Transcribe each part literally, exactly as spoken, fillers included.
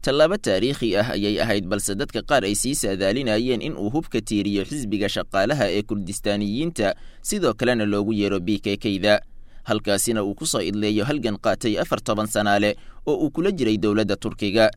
Tallaabo taariikhi ah ayay ahayd, balse dadka qaar ay sii saadaalinayeen in uu hubka tiiriyo xisbiga shaqaalaha ee Kurdistaaniyiinta, sidoo kalena loogu yeero B K K-da, halkaasina uu ku soo idleeyo halgan qaatay afar toban sanaale oo uu kula jiray dowladda Turkiga.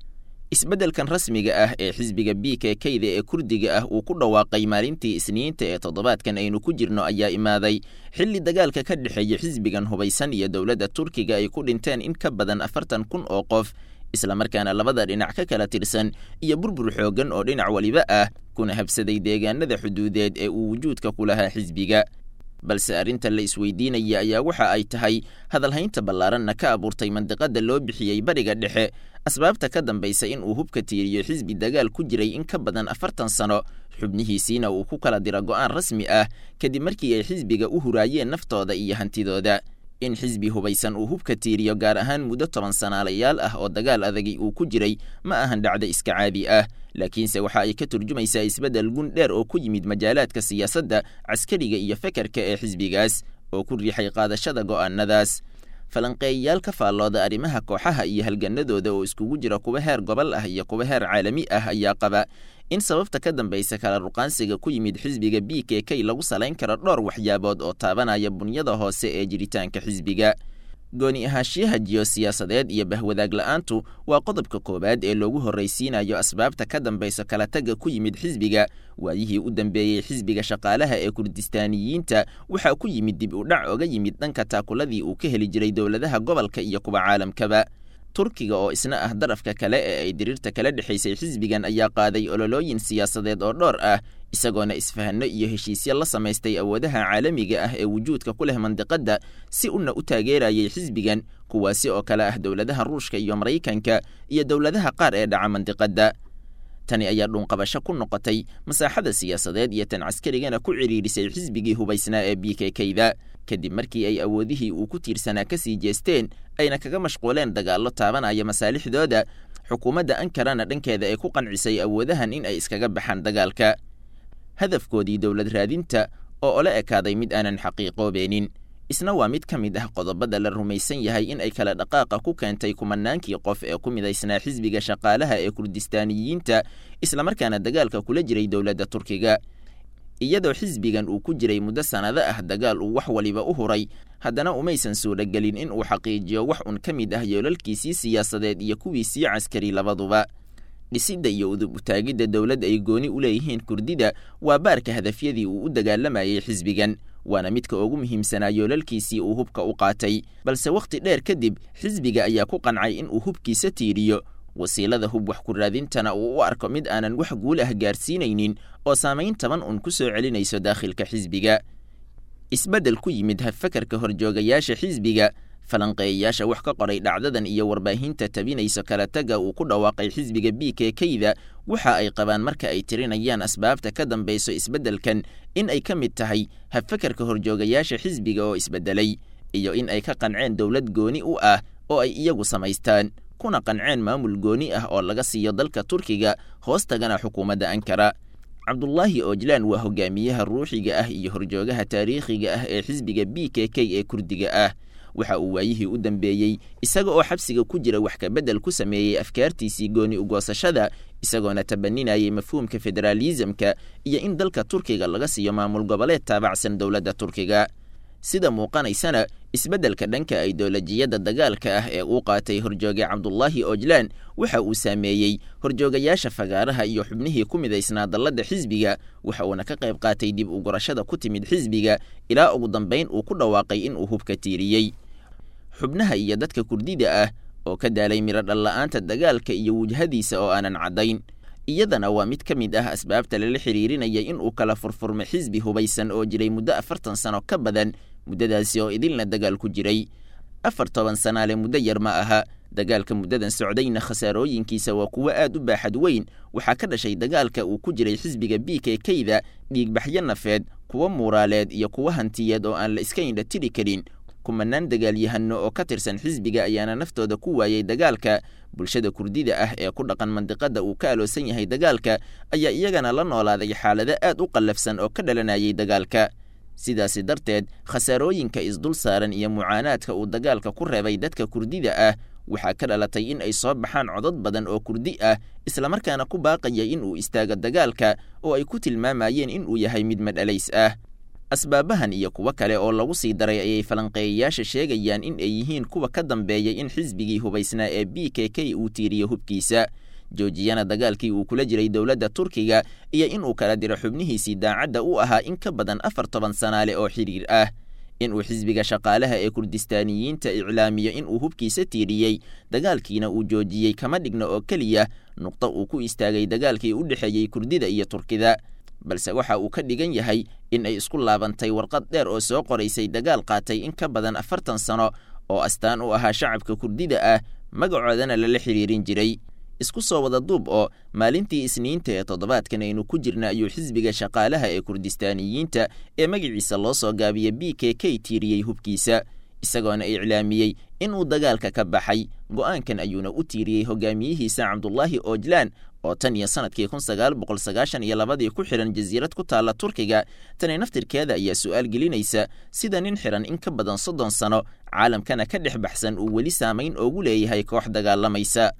Isbeddelkan rasmiga ah ee xisbiga B K K-da ee Kurdiga ah uu ku dhawaaqay maalintii Isniinta ee toddobaadkan aynu ku jirno ayaa imaaday xilli dagaalka ka dhexeeya xisbigan hubaysan iyo dowladda Turkiga ay ku dhinteen in ka badan afartan kun oo qof, islamarkaana labada dhinac ka kala tirsan iyo burbur xooggan oo dhinac waliba ah kuna habsaday deegaanada xuduudeed ee uu wujuudka ku lahaa xisbiga. Balse arrinta la isweydiinaya ayaa waxa ay tahay hadalhaynta ballaaranna ka abuurtay mandiqada loo bixiyey Bariga Dhexe, asbaabta ka dambaysa in uu hubka tiiriyo xisbi dagaal ku jiray in ka badan afartan sano, xubnihiisiina uu ku kala diro go'aan rasmi ah kadib markii ay xisbiga u huraayeen naftooda iyo hantidooda. In xisbi hubaysan uu hubka tiiriyo gaar ahaan muddo toban sanaalayaal ah oo dagaal adagi uu ku jiray ma ahan dhacdo iska caadi ah, laakiinse waxa ay ka turjumaysaa isbeddel gun dheer oo ku yimid majaalaadka siyaasadda, caskariga iyo fekerka ee xisbigaas oo ku riixay qaadashada go'aanadaas. Falanqeeyayaal ka faallooda arrimaha kooxaha iyo halganadooda oo iskugu jira kuwa heer gobol ah iyo kuwa heer caalami ah ayaa qaba in sababta ka dambaysa kala ruqaansiga ku yimid xisbiga B K K lagu salayn karo dhowr waxyaabood oo taabanaya bunyada hoose ee jiritaanka xisbiga. Gooni ahaanshiyaha jiyosiyaasadeed iyo bahwadaag la'aantu waa qodobka koowaad ee loogu horraysiinayo asbaabta ka dambaysa kala tagga ku yimid xisbiga. Waayihii u dambeeyey xisbiga shaqaalaha ee Kurdistaaniyiinta waxaa ku yimid dib u dhac oga yimid dhanka taakuladii uu ka heli jiray dowladaha gobolka iyo kuwa caalamkaba. Turkiga oo isna ah darafka kale ee ay diriirta kala dhexaysay xisbigan ayaa qaaday ololooyin siyaasadeed oo dhowr ah, isagoona isfahanno iyo heshiisyo la samaystay awoodaha caalamiga ah ee wujuudka ku leh mandiqadda si una u taageerayay xisbigan, kuwaasi oo kale ah dowladaha Ruushka iyo Maraykanka iyo dowladaha qaar ee dhaca mandiqadda. Tani ayaa dhuunqabasho ku noqotay masaaxada siyaasadeed iyo tan caskarigana ku cidhiidhisay xisbigii hubaysnaa ee B K K-da, kadib markii ay awoodihii uu ku tiirsanaa ka sii jeesteen ayna kaga mashquuleen dagaallo taabanaya masaalixdooda. Xukuumadda Ankarana dhankeeda ay ku qancisay awoodahan in ay iskaga baxaan dagaalka, hadafkoodii dowlad raadinta oo ola ekaaday mid aanan xaqiiqoobeenin. Isna waa mid ka mid ah qodobada la rumaysan yahay in ay kala dhaqaaqa ku keentay kumanaankii qof ee ku midaysnaa xisbiga shaqaalaha ee Kurdistaaniyiinta, islamarkaana dagaalka kula jiray dowladda Turkiga. Iyadoo xisbigan uu ku jiray muddo sannado ah dagaal uu wax waliba u huray, haddana umaysan suuragelin in uu xaqiijiyo wax un ka mid ah yoolalkiisii siyaasadeed iyo kuwiisii caskari labaduba. Dhisidda iyo udub utaagidda dowlad ay gooni u leeyihiin Kurdida waa baarka hadafyadii uu u dagaalamayay xisbigan, waana midka ugu muhiimsanaa yoolalkiisii uu hubka u qaatay. Balse wakhti dheer kadib xisbiga ayaa ku qancay in uu hubkiisa tiiriyo, wasiilada hub wax ku raadintana uu u arko mid aanan wax guul ah gaarsiinaynin oo saamayn taban un ku soo celinayso daakhilka xisbiga. Isbeddel ku yimid habfakarka horjoogayaasha xisbiga, falanqeeyayaasha wax ka qoray dhacdadan iyo warbaahinta tabinayso kala tagga uu ku dhawaaqay xisbiga B K K-da waxa ay qabaan marka ay tirinayaan asbaabta ka dambayso isbeddelkan in ay ka mid tahay habfakarka horjoogayaasha xisbiga oo isbeddelay, iyo in ay ka qanceen dowlad gooni u ah oo ay iyagu samaystaan, kuna qanceen maamul gooni ah oo laga siiyo dalka Turkiga, hoos tagana xukuumadda Ankara. Cabdullaahi Oojlaan waa hogaamiyaha ruuxiga ah iyo horjoogaha taariikhiga ah ee xisbiga B K K ee Kurdiga ah. Waxa uu waayihii u dambeeyey isaga oo xabsiga ku jira wax ka beddel ku sameeyey afkaartiisii gooni ugoosashada, isagoona tabaninayay mafhuumka federaalisamka iyo in dalka Turkiga laga siiyo maamul goboleed taabacsan dowladda Turkiga. Sida muuqanaysana isbeddelka dhanka aidolojiyadda dagaalka ah ee uu qaatay horjooge Cabdullaahi Oojlaan waxa uu saameeyey horjoogayaasha fagaaraha iyo xubnihii ku midaysnaa dalladda xisbiga, waxa uuna ka qayb qaatay dib u gurashada ku timid xisbiga ilaa ugu dambayn uu ku dhawaaqay in uu hubka tiiriyey. Xubnaha iyo dadka Kurdida ah oo ka daalay miro dhal-la'aanta dagaalka iyo wujhadiisa oo aanan caddayn, iyadana waa mid ka mid ah asbaabta lala xiriirinaya in uu kala furfurmo xisbi hubaysan oo jiray muddo afartan sano ka badan, muddadaasi oo idilna dagaal ku jiray. Afar toban sanaale muddo yar ma aha. Dagaalka muddadan socdayna khasaarooyinkiisa waa kuwo aad u baaxad weyn. Waxaa ka dhashay dagaalka uu ku jiray xisbiga B K K-da dhiigbaxyo nafeed, kuwo muuraaleed iyo kuwo hantiyeed oo aan la iska indha tiri karin. Kumanaan dagaalyahano oo ka tirsan xisbiga ayaana naftooda ku waayay dagaalka. Bulshada Kurdida ah ee ku dhaqan mandiqada uu ka aloosan yahay dagaalka ayaa iyagana la noolaaday xaalado aad u qallafsan oo ka dhalanayay dagaalka. Sidaasi darteed khasaarooyinka isdul saaran iyo mucaanaadka uu dagaalka ku reebay dadka Kurdida ah Waxaa ka dhalatay in ay soo baxaan codad badan oo Kurdi ah, islamarkaana ku baaqaya in uu istaago dagaalka oo ay ku tilmaamayeen in uu yahay mid madhalays ah. Asbaabahan iyo kuwo kale oo lagu sii daray ayay falanqeeyayaasha sheegayaan in ay yihiin kuwa ka dambeeyay in xisbigii hubaysnaa ee B K K uu tiiriyo hubkiisa, joojiyana dagaalkii uu kula jiray dowladda Turkiga, iyo inuu kala diro xubnihiisii daacadda u ahaa in ka badan afar toban sanaale oo xidhiir ah. Inuu xisbiga shaqaalaha ee Kurdistaaniyiinta iclaamiyo inuu hubkiisa tiiriyey, dagaalkiina uu joojiyey, kama dhigna oo keliya nuqdo uu ku istaagay dagaalkii u dhexeeyey Kurdida iyo Turkida, balse waxa uu ka dhigan yahay in ay isku laabantay warqad dheer oo soo qoraysay dagaal qaatay in ka badan afartan sano oo astaan u ahaa shacabka Kurdida ah, magacoodana lala xiriirin jiray. Isku soo wada duub oo maalintii Isniinta ee toddobaadkan aynu ku jirna ayuu xisbiga shaqaalaha ee Kurdistaaniyiinta ee magaciisa loo soo gaabiya B K K tiiriyey hubkiisa, isagoona iclaamiyey inuu dagaalka ka baxay. Go'aankan ayuuna u tiiriyey hogaamiyihiisa Cabdulaahi Oojlaan oo tan iyo sanadkii kun sagaal boqol sagaashan iyo labadii ku xidhan jasiirad ku taalla Turkiga. Tani naftirkeeda ayaa su'aal gelinaysa sida nin xidhan in ka badan soddon sano caalamkana ka dhex baxsan uu weli saamayn oogu leeyahay koox dagaalamaysa.